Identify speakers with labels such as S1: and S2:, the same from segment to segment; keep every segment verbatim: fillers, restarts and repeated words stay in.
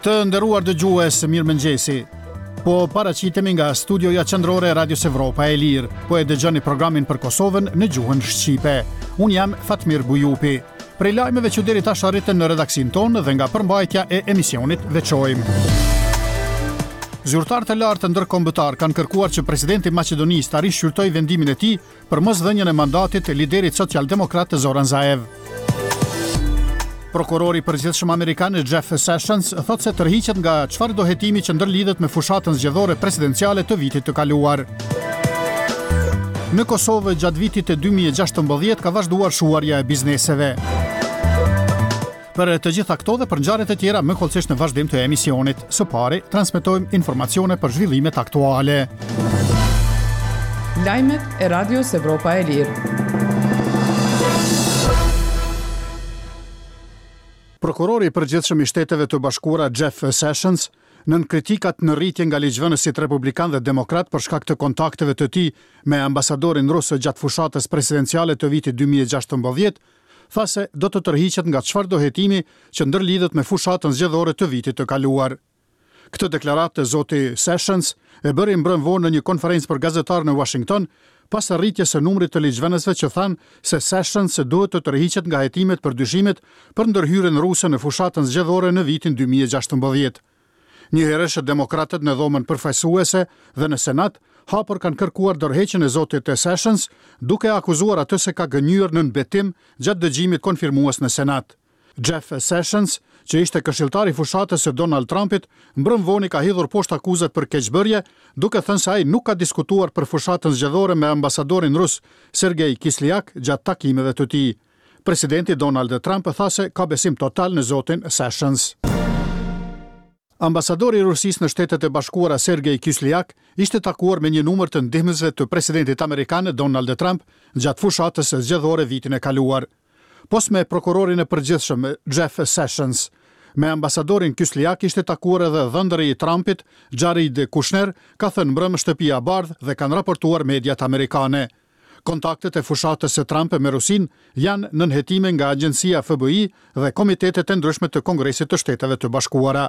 S1: Të nderuar dëgjues, mirëmëngjesi. Po paraqitemi nga studioja qendrore e Radios Evropa e Lirë. Po e dëgjoni programin për Kosovën në gjuhën shqipe. Unë jam Fatmir Bujupi. Prej lajmeve që deri tash arritën në redaksinë tonë dhe nga përmbajtja e emisionit veçojmë. Zyrtarë të lartë ndërkombëtar kanë kërkuar që presidenti i Maqedonisë ta rishqyrtojë vendimin e tij për mosdhënien e mandatit të liderit socialdemokrat Zoran Zaev. Prokurori i përgjithshëm amerikan Jeff Sessions thotë se tërhiqet nga çfarëdo hetimi që ndërlidhet me fushatën zgjedhore presidenciale të vitit të kaluar. Në Kosovë gjatë vitit të dy mijë e gjashtëmbëdhjetë ka vazhduar shuarja e bizneseve. Për të gjitha këto dhe për ngjarjet e tjera më hollësisht në vazhdim të emisionit. Së pari, transmetojmë informacione për zhvillimet aktuale.
S2: Lajmet e Radios Evropa e Lirë.
S1: Prokurori i përgjithshëm i Shteteve të Bashkuara Jeff Sessions, nën kritikat në rritje nga ligjvënësit republikan dhe demokrat për shkak të kontakteve të tij me ambasadorin rus gjatë fushatës presidenciale të vitit dy mijë e gjashtëmbëdhjetë, tha se do të tërhiqet nga çfarëdo hetimi që ndërlidhet me fushatën zgjedhore të vitit të kaluar. Këtë deklaratë të zoti Sessions e bëri mbrëm vonë në një konferencë për gazetarë në Washington, pas rritjes së numrit të ligjvënësve që thanë se Sessions duhet të tërhiqet nga hetimet për dyshimet për ndërhyrjen ruse në fushatën zgjedhore në vitin dy mijë e gjashtëmbëdhjetë. Njëherësh, demokratët në dhomën përfaqësuese dhe në Senat hapur kanë kërkuar dorëheqjen e zotit Sessions, duke akuzuar atë se ka gënjur nën betim gjatë dëgjimit konfirmues në Senat. Jeff Sessions, që ishte këshilltar i fushatës së Donald Trumpit, mbrëm vonë ka hidhur poshtë akuzat për keqbërje, duke thënë se ai nuk ka diskutuar për fushatën zgjedhore me ambasadorin rus Sergej Kislyak gjatë takimeve të tij. Presidenti Donald Trump tha se ka besim total në zotin Sessions. Ambasadori i Rusisë në Shtetet e Bashkuara Sergej Kislyak ishte takuar me një numër të ndihmësve të presidentit amerikan Donald Trump gjatë fushatës zgjedhore vitin e kaluar. Pos me prokurorin e përgjithshëm Jeff Sessions, me ambasadorin Kislyak ishte takuar edhe dhëndëri i Trumpit, Jared Kushner, ka thënë mbrëmë Shtëpia e Bardhë dhe kanë raportuar mediat amerikane. Kontaktet e fushatës së Trump me Rusinë janë nën hetime nga agjencia F B I dhe komitetet e ndryshme të Kongresit të Shteteve të Bashkuara.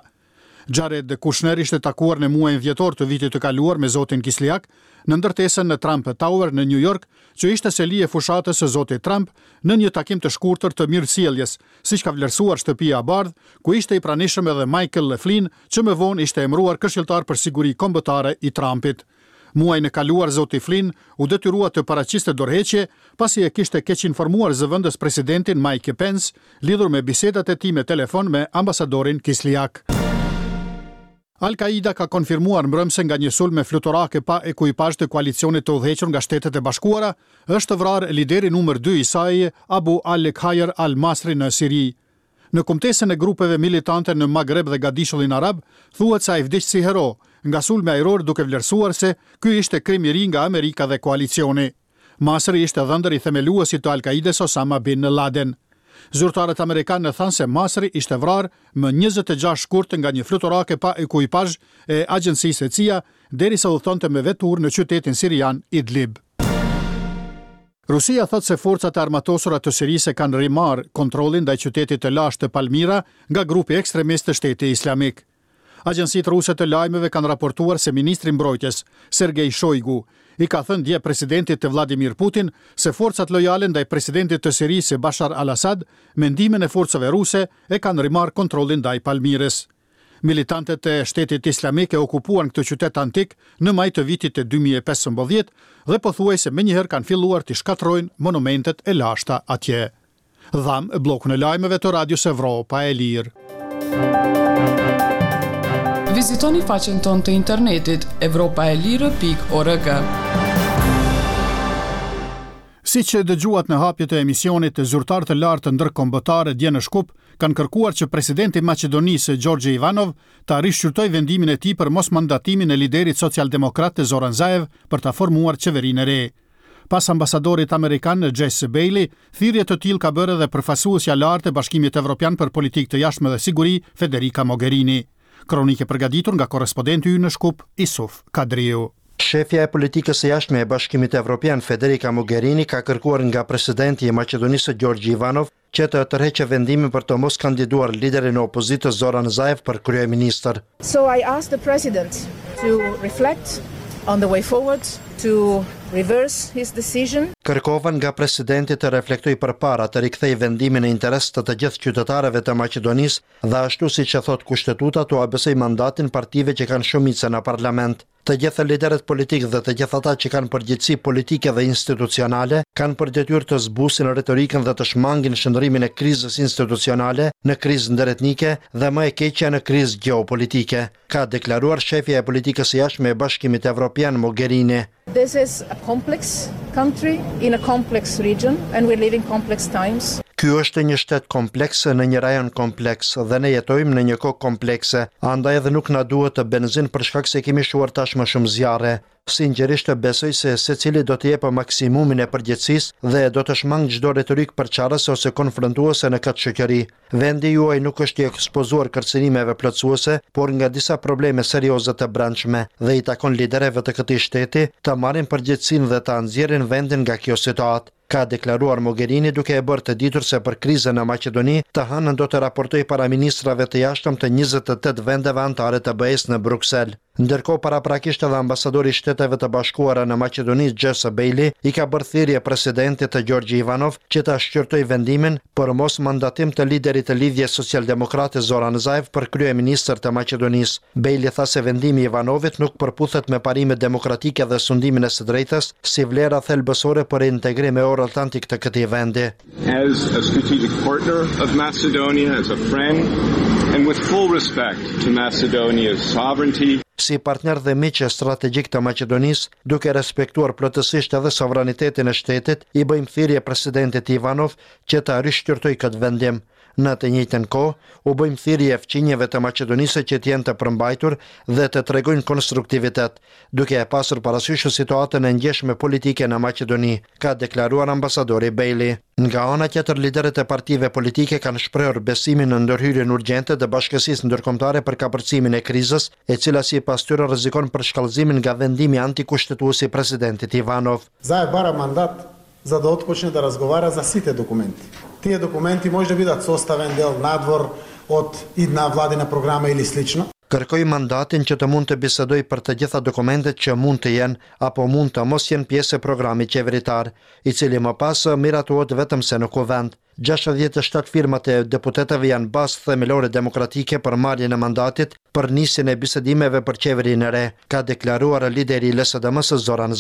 S1: Jared Kushner ishte takuar në muajin dhjetor të vitit të kaluar me zotin Kislyak në ndërtesën në Trump Tower në New York, që ishte seli e fushatës së zotit Trump, në një takim të shkurtër të mirësjelljes, siç ka vlerësuar Shtëpia e Bardhë, ku ishte i pranishëm edhe Michael Flynn, që më vonë ishte emëruar këshilltar për siguri kombëtare i Trumpit. Muajin e kaluar zoti Flynn u detyrua të paraqiste dorëheqje pasi e kishte keqinformuar zëvendës presidentin Mike Pence lidhur me bisedat e tij me telefon me ambasadorin Kislyak. Al-Qaida ka konfirmuar mbrëmë se nga një sulm me fluturake pa ekuipazh të koalicionit të udhëhequr nga Shtetet e Bashkuara është vrarë lideri numër dy i saj, Abu al-Khair al-Masri, në Siri. Në kumtesën e grupeve militante në Magreb dhe Gadishullin Arab, thuhet se ai vdiq si hero nga sulmi ajror, duke vlerësuar se ky ishte krim i ri nga Amerika dhe koalicioni. Masri ishte dhëndër i themeluesit të Al-Qaidës, Osama bin Laden. Zyrtarët amerikanë thanë se Masri ishte vrarë më njëzet e gjashtë shkurt nga një fluturake pa ekuipazh e agjencisë C I A, derisa udhëtonte me veturë në qytetin sirian Idlib. Rusia thotë se forcat e armatosura të Sirisë kanë rimarrë kontrollin ndaj qytetit të lashtë të Palmira nga grupi ekstremist të Shteti Islamik. Agjencitë ruse të lajmeve kanë raportuar se ministri i mbrojtjes, Sergej Shoigu, i ka thënë dje presidentit të Vladimir Putin se forcat lojale ndaj presidentit të Sirisë Bashar al-Assad, me ndihmën e forcave ruse, e kanë rimarrë kontrollin ndaj Palmirës. Militantët e Shtetit Islamik e okupuan këtë qytet antik në maj të vitit të dy mijë e pesëmbëdhjetë dhe pothuajse menjëherë kanë filluar të shkatërrojnë monumentet e lashta atje. Dhamë bllokun e lajmeve të Radios Evropa e Lirë.
S2: Vizitoni faqen tonë të internetit evropaelire pikë org.
S1: Si që dëgjuat në hapje të emisionit, zyrtarë të lartë ndërkombëtare dje në Shkup kanë kërkuar që presidenti i Maqedonisë Gjorgje Ivanov ta rishqyrtojë vendimin e tij për mosmandatimin e liderit socialdemokrat Zoran Zaev për ta formuar qeverinë e re. Pas ambasadorit amerikan Jess Bailey, thirrje të tillë ka bërë edhe përfaqësuesja e lartë e Bashkimit Evropian për politikë të jashtme dhe siguri, Federica Mogherini. Kronikë përgatitur nga korrespondenti ynë në Shkup, Isuf Kadriu.
S3: Shefja e politikës së jashtme e Bashkimit Evropian Federica Mogherini ka kërkuar nga presidenti i Maqedonisë Gjorgji Ivanov që të tërheqë vendimin për të mos kandiduar liderin e opozitës Zoran Zaev për kryeministër.
S4: So I ask the president to reflect on the way forward, to reverse his decision.
S3: Kërkova nga presidenti të reflektojë përpara të rikthej vendimin në interes të të gjithë qytetarëve të Maqedonisë dhe ashtu siç e thot kushtetuta t'ua besoj mandatin partive që kanë shumicën në parlament. Të gjithë liderët politik dhe të gjithë ata që kanë përgjegjësi politike dhe institucionale kanë për detyrë të zbusin retorikën dhe të shmangin shndërrimin e krizës institucionale në krizë ndëretnike dhe më e keqja në krizë gjeopolitike, ka deklaruar shefja e politikës së jashtme e Bashkimit Evropian Mogherini.
S4: This is a complex country in a complex region and we live in complex times.
S3: Ky është një shtet kompleks në një rajon kompleks dhe ne jetojmë në një kohë komplekse, andaj edhe nuk na duhet të benzin për shkak se kemi shuar tashmë shumë zjarre. Sinqerisht besoj se secili do të jepë maksimumin e përgjegjësisë dhe do të shmang çdo retorikë përçarëse ose konfrontuese në këtë shoqëri. Vendi juaj nuk është i ekspozuar kërcënimeve plotësuese, por nga disa probleme serioze të brendshme dhe i takon liderëve të këtij shteti të marrin përgjegjësinë dhe ta nxjerrin vendin nga kjo situatë, ka deklaruar Mogherini duke e bërë të ditur se për krizën në Maqedoni të hënën do të raportojë para ministrave të jashtëm të njëzet e tetë vendeve anëtare të B E-s në Bruksel. Ndërkohë, paraprakisht edhe ambasadori i Shteteve të Bashkuara në Maqedoni, Jesse Bailey, i ka bërë thirrje presidentit të Gjorgji Ivanov që ta shqyrtojë vendimin për mos mandatim të liderit të Lidhjes Socialdemokrate Zoran Zaev për kryeministër të Maqedonisë. Bailey tha se vendimi i Ivanovit nuk përputhet me parimet demokratike dhe sundimin e së drejtës si vlera thelbësore për integrim euroatlantik të këtij vendi.
S5: As a strategic partner of Macedonia, as a friend, and with full respect to Macedonia's sovereignty,
S3: Si partner dhe miq strategjik të Maqedonisë, duke respektuar plotësisht edhe sovranitetin e shtetit, i bëjmë thirrje presidentit Ivanov që ta rishqyrtojë këtë vendim. Në të njëjtën kohë, u bëjmë thirrje fqinjëve të Maqedonisë që të jenë të përmbajtur dhe të tregojnë konstruktivitet, duke e pasur parasysh situatën e ndjeshme politike në Maqedoni, ka deklaruar ambasadori Bailey. Nga ana tjetër, liderët e partive politike kanë shprehur besimin në ndërhyrjen urgjente të bashkësisë ndërkombëtare për kapërcimin e krizës, e cila sipas tyre rrezikon përshkallëzimin nga vendimi antikushtetues i presidentit Ivanov.
S6: Zaev бара мандат за да отпочне да разговара за сите документи. Тие документи може да бидат составен дел надвор од идна владина програма или слично.
S3: Kërkoj mandatin që të mund të bisedoj për të gjitha dokumentet që mund të jenë apo mund të mos jenë pjesë e programit qeveritar, i cili më pas miratohet vetëm se në kuvend. gjashtëdhjetë e shtatë firmat e deputetëve janë bazë themelore demokratike për marrjen e mandatit për nisjen e bisedimeve për qeverinë e re, ka deklaruar lideri i L S D M-së Zoran